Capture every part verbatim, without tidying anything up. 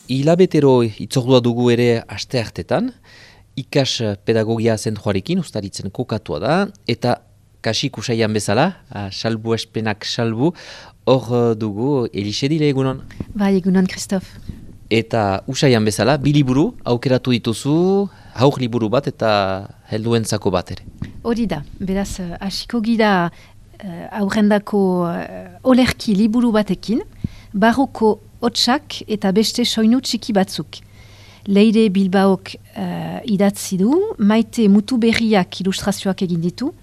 hilabetero itzordua dugu ere aste hartetan, ikas pedagogia zentroarekin ustaritzen kokatua da, eta kasik usaian bezala, salbu espenak salbu, hor dugu Elixedile egunon. Bai, egunon, Christophe. Eta usaian bezala, bi liburu aukeratu dituzu, haur liburu bat eta helduentzako bat ere. Hori da, beraz, hasiko gira uh, aurrendako uh, olerki liburu batekin, barroko hotsak eta beste soinu txiki batzuk. Leire Bilbaok uh, idatzi du, Maite Mutuberriak ilustrazioak egin ditu,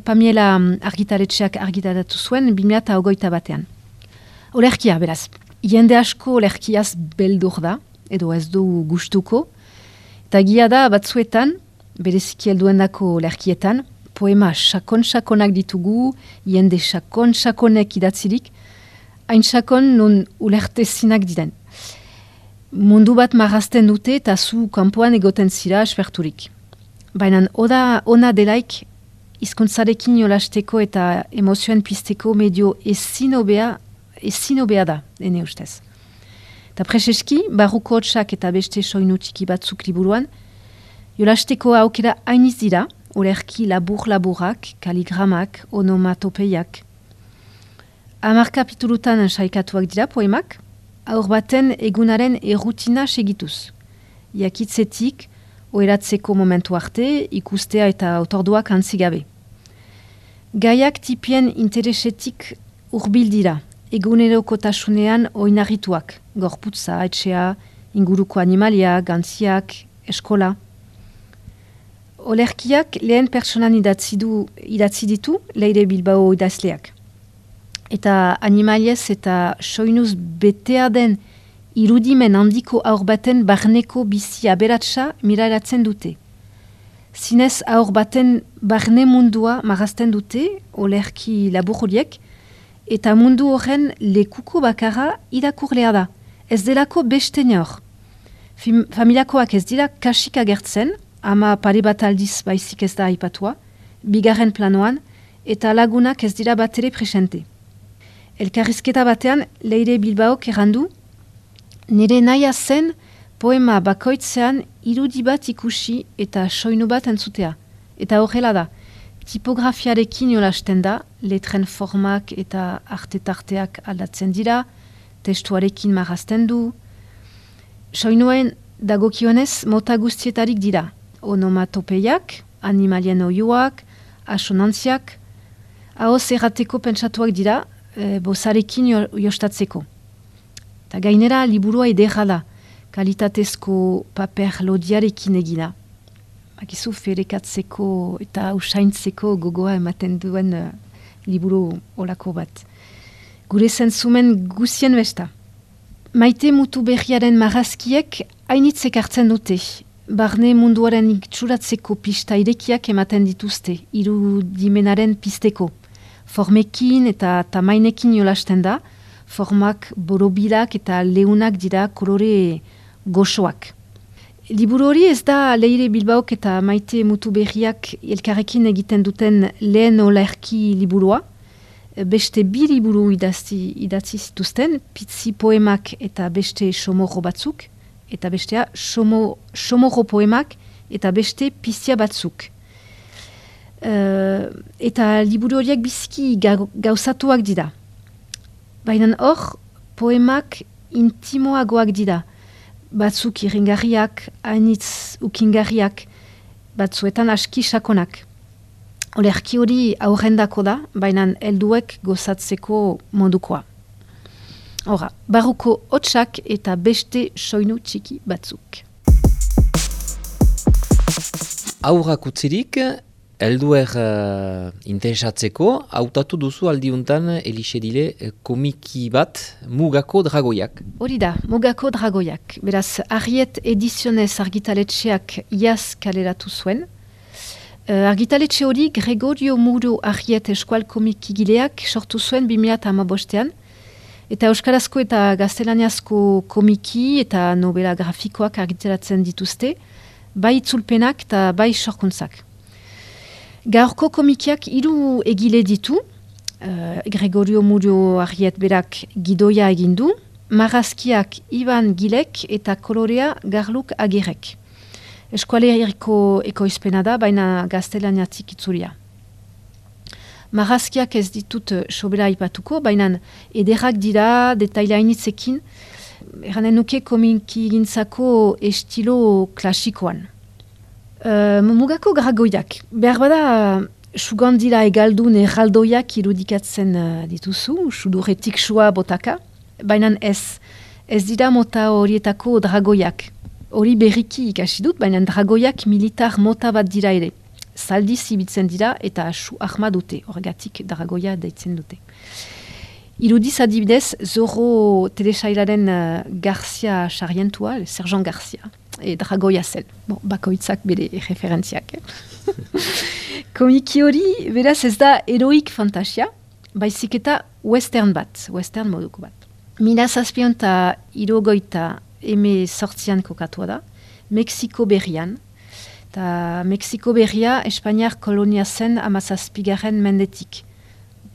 Pamiela argitaletxeak argitaratu zuen bi mila hogeita batean. Olerkia, beraz, jende asko olerkiaz beldur da, edo ez du gustuko, eta gia da batzuetan, bereziki helduendako olerkietan, poema sakon-sakonak ditugu, jende sakon-sakonek idatzirik, hain sakon non ulertezinak diren. Mundu bat marrazten dute eta zu kanpoan egoten zira esperturik. Baina oda ona delaik hizkuntzarekin jolasteko eta emozioen pizteko medio ezin hobea ezin hobea da, ene ustez. Eta preseski, barruko hotsak eta beste soinu txiki batzuk liburuan, jolasteko aukera hainiz dira, olerki labur-laburak, kaligramak, onomatopeiak. Hamar kapitulutan saikatuak dira poemak, aur baten egunaren errutina segituz. Jakitzetik, oheratzeko momentu arte, ikustea eta otorduak antzigabe. Gaiak tipien interesetik hurbil dira, egunerokotasunean oinarrituak, gorputza, etxea, inguruko animalia, gantziak, eskola. Olerkiak lehen personan idatzi du, idatzi ditu Leire Bilbao idazleak. Eta animaliez eta soinuz betea den irudimen handiko aur baten barneko bizi aberatsa miraratzen dute. Zinez aur baten barne mundua marazten dute, olerki labur horiek, eta mundu horren lekuko bakarra irakurlea da. Ez delako beste nor. Familiakoak ez dira kasik agertzen, ama pare bat aldiz baizik ez da aipatua, bigarren planoan, eta lagunak ez dira bat ere presente. Elkarrizketa batean, Leire Bilbaok errandu, nire nahia zen poema bakoitzean irudi bat ikusi eta soinu bat entzutea. Eta horrela da, tipografiarekin jolasten da, letren formak eta artetarteak aldatzen dira, testuarekin marrazten du. Soinuen dagokionez mota guztietarik dira, onomatopeiak, animalien oioak, asonantziak, ahoz errateko pentsatuak dira, e, bozarekin jo, jostatzeko. Ta gainera liburua ederra da, kalitatezko paper lodiarekin egina. Akizu ferekatzeko eta usaintzeko gogoa ematen duen uh, liburu olako bat. Gure zentzumen guzien besta. Maite Mutuberriaren marrazkiek hainitzek hartzen dute. Barne munduaren iktsuratzeko pista irekiak ematen dituzte, irudimenaren pizteko. Formekin eta tamainekin jolasten da, formak borobilak eta leunak dira kolore goxoak. Liburu hori ez da Leire Bilbaok eta Maite Mutuberriak elkarrekin egiten duten lehen olerki liburua. Beste bi liburu idazti, idatzi zituzten, pitzi poemak eta beste somorro batzuk, eta bestea somo, somorro poemak eta beste pizia batzuk. Uh, eta liburu horiek biziki gauzatuak dira. Baina hor, poemak intimoagoak dira. Batzuk iringarriak, hainitz ukingarriak, batzuetan aski sakonak. Olerki hori aurrendako da, baina helduek gozatzeko modukoa. Hora, barruko hotsak eta beste soinu txiki batzuk. Aurrak utzirik, helduer uh, interesatzeko, hautatu duzu aldiuntan Elixedile uh, komiki bat Mugako Dragoiak. Hori da, Mugako Dragoiak. Beraz, Ariet Edizionez argitaletxeak iaz kaleratu zuen. Uh, argitaletxe hori Gregorio Muro Ariet eskual komikigileak sortu zuen bi mila hamabostean. Eta euskarazko eta gaztelaniazko komiki eta novela grafikoak argitaratzen dituzte, bai itzulpenak eta bai sorkuntzak. Gaurko komikiak hiru egile ditu, uh, Gregorio Murio Ariet berak gidoia egin du, marrazkiak Iban Gilek eta kolorea Garluk Agirek. Eskualeriko ekoizpena da, baina gaztelaniatik itzulia. Marrazkiak ez ditut sobera aipatuko, baina ederrak dira, detailainitzekin, eranen nuke komiki gintzako estilo klasikoan. Uh, mugako dragoiak. Behar bada, sugandira egaldun erraldoiak irudikatzen uh, dituzu, suduretik sua botaka, baina ez, ez dira mota horietako dragoiak. Hori berriki ikasi dut, baina dragoiak militar mota bat dira ere. Zaldiz ibitzen dira eta su ahma dute, horregatik dragoia deitzen dute. Irudiz adibidez, Zorro telesailaren uh, Garcia Sarrientua, Sergeant Garcia, e dragoia zen. Bon, bakoitzak bere referentziak. Eh? Komiki hori, beraz ez da heroik fantasia, baizik eta western bat, western moduko bat. Mila zazpion eta irogoita eme sortzian kokatua da, Mexiko berrian, eta Mexiko berria Espainiar kolonia zen amazazpigarren mendetik.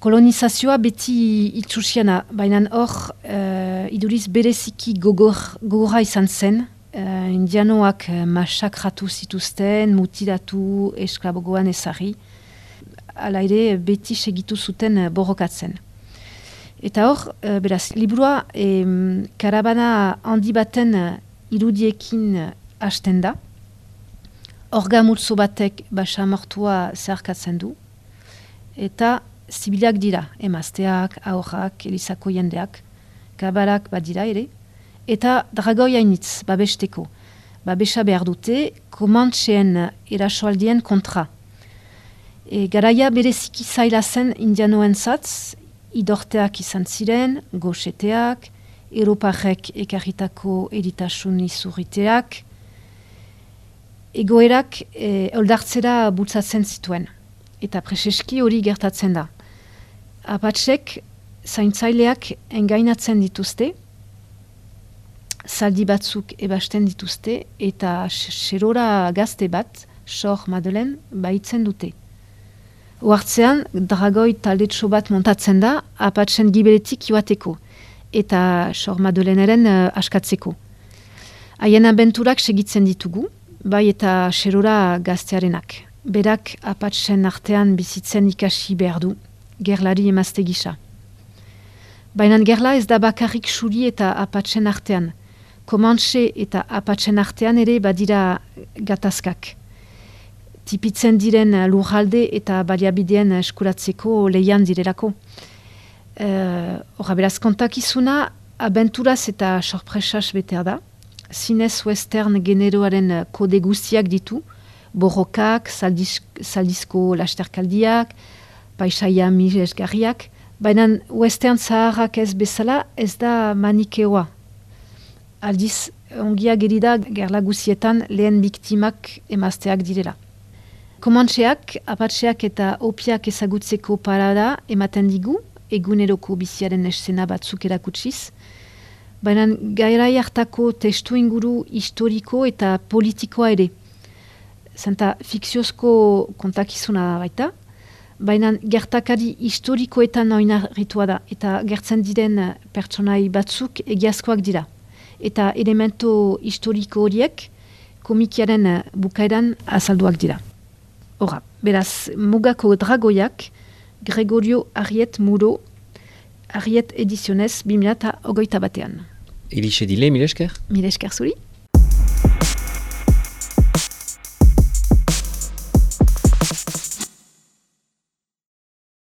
Kolonizazioa beti itxusiana, baina hor uh, iduriz bereziki gogor, gogorra izan zen, uh, indianoak uh, masakratu zituzten, mutilatu, esklabogoan ezarri, ala ere beti segitu zuten uh, borrokatzen. Eta hor, uh, beraz, liburua em, karabana handi baten uh, irudiekin uh, hasten da. Orga multzo batek basamortua zeharkatzen du. Eta zibilak dira, emazteak, aurrak, elizako jendeak, kabalak badira ere. Eta dragoi hainitz, babesteko. Babesa behar dute, komantxeen erasoaldien kontra. E, garaia bereziki zaila zen indianoen zatz, idorteak izan ziren, goxeteak, Europarrek ekarritako eritasun izurriteak, egoerak e, oldartzera bultzatzen zituen. Eta preseski hori gertatzen da. Apatzek zaintzaileak engainatzen dituzte, zaldi batzuk ebasten dituzte, eta xerora gazte bat, Sor Madelen, baitzen dute. Oartzean, dragoi taldetxo bat montatzen da, apatzen gibeletik joateko, eta Sor Madeleneren uh, askatzeko. Haien abenturak segitzen ditugu, bai eta xerora gaztearenak. Berak apatzen artean bizitzen ikasi behar du, gerlari emazte gisa. Baina gerla ez da bakarrik xuri eta apatzen artean. Komantxe eta apatzen artean ere badira gatazkak. Tipitzen diren lurralde eta baliabideen eskuratzeko lehian direlako. Horra, uh, beraz kontakizuna abenturaz eta sorpresaz betea da. Zinez western generoaren kode guztiak ditu, borrokak, saldiz, saldizko lasterkaldiak, paisaia miresgarriak, baina western zaharrak ez bezala ez da manikeoa. Aldiz, ongia gerida gerla guzietan lehen biktimak emazteak direla. Komantxeak, apatxeak eta opiak ezagutzeko parada ematen digu, eguneroko biziaren eszena batzuk erakutsiz, baina gairai hartako testu inguru historiko eta politikoa ere. Zenta fikziozko kontakizuna baita, baina gertakari historikoetan oinarritua da, eta gertzen diren pertsonai batzuk egiazkoak dira. Eta elemento historiko horiek komikiaren bukaeran azalduak dira. Hora, beraz, mugako dragoiak, Gregorio Arriet Muro, Arriet Edizionez, bi mila hogeita batean. Elixe dile, mil esker? Mil esker zuri.